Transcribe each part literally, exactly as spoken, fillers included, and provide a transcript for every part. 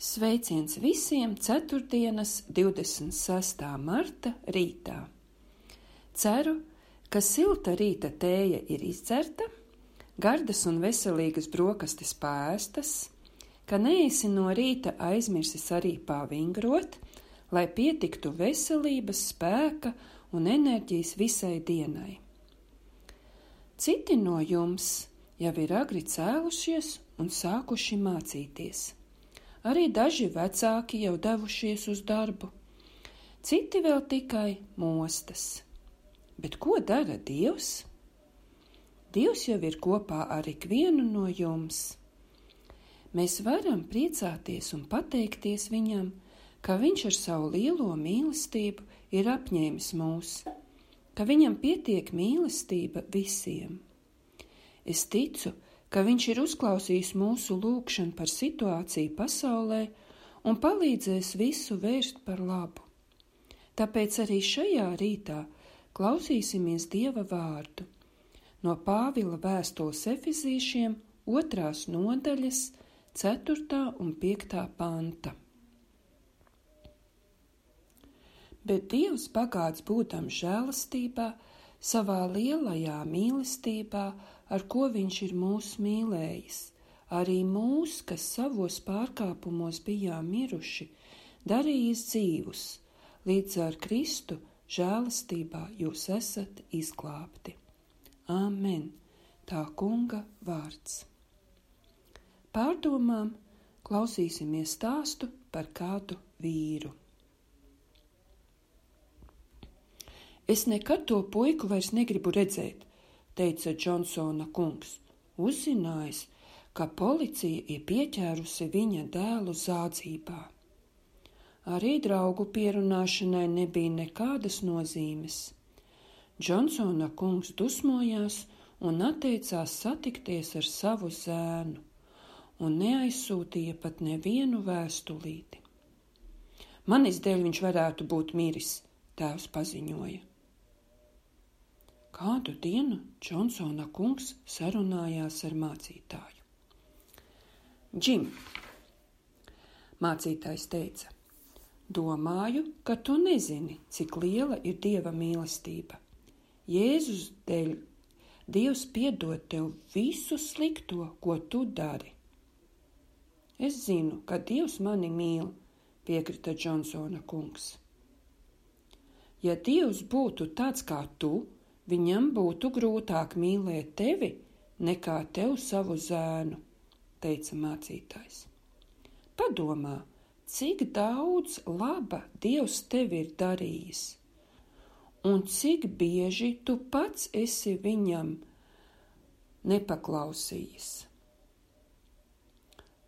Sveiciens visiem ceturtdienas divdesmit sestā marta rītā. Ceru, ka silta rīta tēja ir izdzerta, gardas un veselīgas brokastis pāēstas, ka neesi no rīta aizmirsis arī pavingrot, lai pietiktu veselības, spēka un enerģijas visai dienai. Citi no jums jau ir agri cēlušies un sākuši mācīties. Arī daži vecāki jau devušies uz darbu, citi vēl tikai mostas. Bet ko dara Dievs? Dievs jau ir kopā ar ikvienu no jums. Mēs varam priecāties un pateikties Viņam, ka Viņš ar savu lielo mīlestību ir apņēmis mūs, ka Viņam pietiek mīlestība visiem. Es ticu, ka Viņš ir uzklausījis mūsu lūgšanu par situāciju pasaulē un palīdzēs visu vērst par labu. Tāpēc arī šajā rītā klausīsimies Dieva vārdu no Pāvila vēstules Efezīšiem otrās nodaļas ceturtā un piektā panta. Bet Dievs bagāts būdams žēlastībā, savā lielajā mīlestībā, ar ko Viņš ir mūs mīlējis, arī mūs, kas savos pārkāpumos bijām miruši, darījis dzīvus, līdz ar Kristu žēlastībā jūs esat izglābti. Āmen, tā Kunga vārds. Pārdomām klausīsimies stāstu par kādu vīru. Es nekad to puiku vairs negribu redzēt, teica Džonsona kungs, uzzinājis, ka policija ir pieķērusi viņa dēlu zādzībā. Arī draugu pierunāšanai nebija nekādas nozīmes. Džonsona kungs dusmojās un atteicās satikties ar savu zēnu un neaizsūtīja pat nevienu vēstulīti. Manis dēļ viņš varētu būt miris, tēvs paziņoja. Kādu dienu Džonsona kungs sarunājās ar mācītāju. Džim, mācītājs teica, domāju, ka tu nezini, cik liela ir Dieva mīlestība. Jēzus dēļ Dievs piedod tev visu slikto, ko tu dari. Es zinu, ka Dievs mani mīl, piekrita Džonsona kungs. Ja Dievs būtu tāds kā tu, Viņam būtu grūtāk mīlēt tevi nekā tev savu zēnu, teica mācītājs. Padomā, cik daudz laba Dievs tevi ir darījis, un cik bieži tu pats esi Viņam nepaklausījis.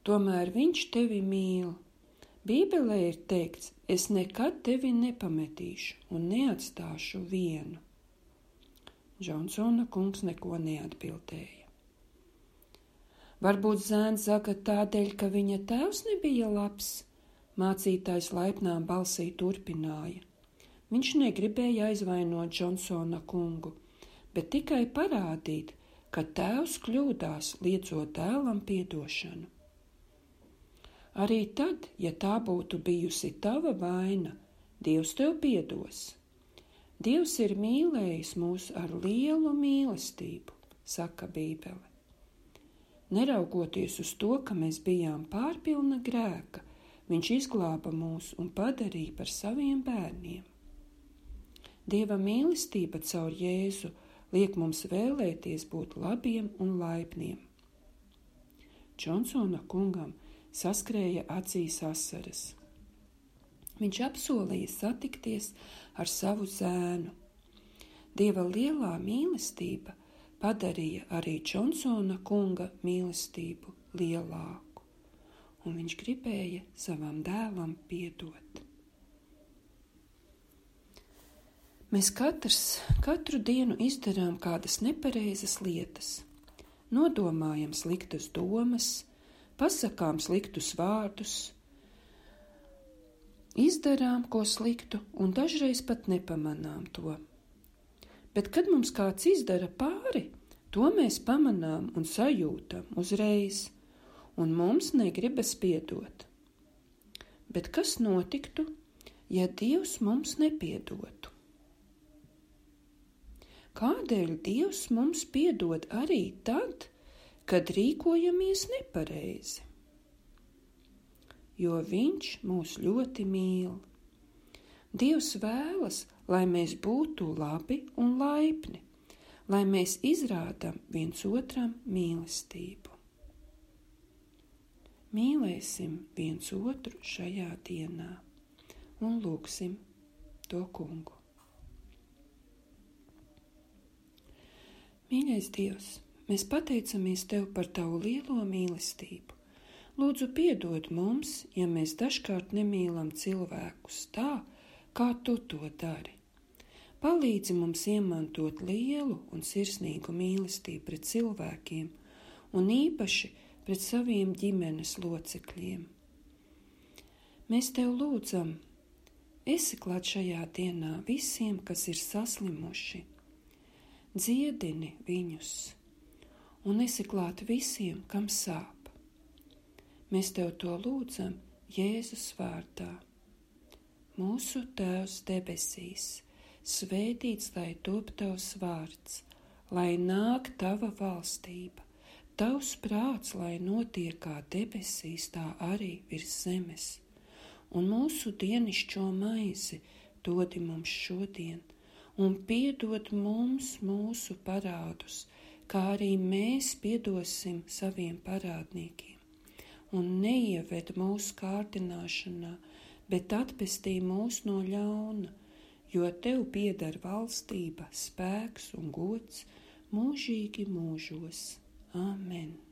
Tomēr Viņš tevi mīl. Bībelē ir teikts, es nekad tevi nepametīšu un neatstāšu vienu. Džonsona kungs neko neatbildēja. Varbūt zēns saka tādēļ, ka viņa tēvs nebija labs, mācītājs laipnām balsī turpināja. Viņš negribēja aizvainot Džonsona kungu, bet tikai parādīt, ka tēvs kļūdās, liedzot dēlam piedošanu. Arī tad, ja tā būtu bijusi tava vaina, Dievs tev piedos. Dievs ir mīlējis mūs ar lielu mīlestību, saka Bībele. Neraugoties uz to, ka mēs bijām pārpilna grēka, Viņš izglāba mūs un padarīja par saviem bērniem. Dieva mīlestība caur Jēzu liek mums vēlēties būt labiem un laipniem. Džonsona kungam saskrēja acīs asaras. Viņš apsolīja satikties ar savu zēnu. Dieva lielā mīlestība padarīja arī Džonsona kunga mīlestību lielāku, un viņš gribēja savam dēlam piedot. Mēs katrs katru dienu izdarām kādas nepareizas lietas, nodomājam sliktas domas, pasakām sliktus vārdus, izdarām ko sliktu un dažreiz pat nepamanām to. Bet, kad mums kāds izdara pāri, to mēs pamanām un sajūtam uzreiz, un mums negribas piedot. Bet kas notiktu, ja Dievs mums nepiedotu? Kādēļ Dievs mums piedod arī tad, kad rīkojamies nepareizi? Jo Viņš mūs ļoti mīl. Dievs vēlas, lai mēs būtu labi un laipni, lai mēs izrādām viens otram mīlestību. Mīlēsim viens otru šajā dienā un lūgsim to Kungu. Mīļais Dievs, mēs pateicamies Tev par Tavu lielo mīlestību. Lūdzu, piedod mums, ja mēs dažkārt nemīlam cilvēkus tā, kā Tu to dari. Palīdzi mums iemantot lielu un sirsnīgu mīlestību pret cilvēkiem un īpaši pret saviem ģimenes locekļiem. Mēs Tev lūdzam, esi klāt šajā dienā visiem, kas ir saslimuši. Dziedini viņus un esi klāt visiem, kam sāp. Mēs Tev to lūdzam Jēzus vārdā. Mūsu Tēvs debesīs, svētīts lai top Tavs vārds, lai nāk Tava valstība, Tavs prāts, lai notiek kā debesīs, tā arī virs zemes. Un mūsu dienišķo maizi dodi mums šodien, un piedod mums mūsu parādus, kā arī mēs piedosim saviem parādniekiem. Un neieved mūsu kārdināšanā, bet atpestī mūs no ļauna, jo Tev pieder valstība, spēks un gods mūžīgi mūžos. Āmen.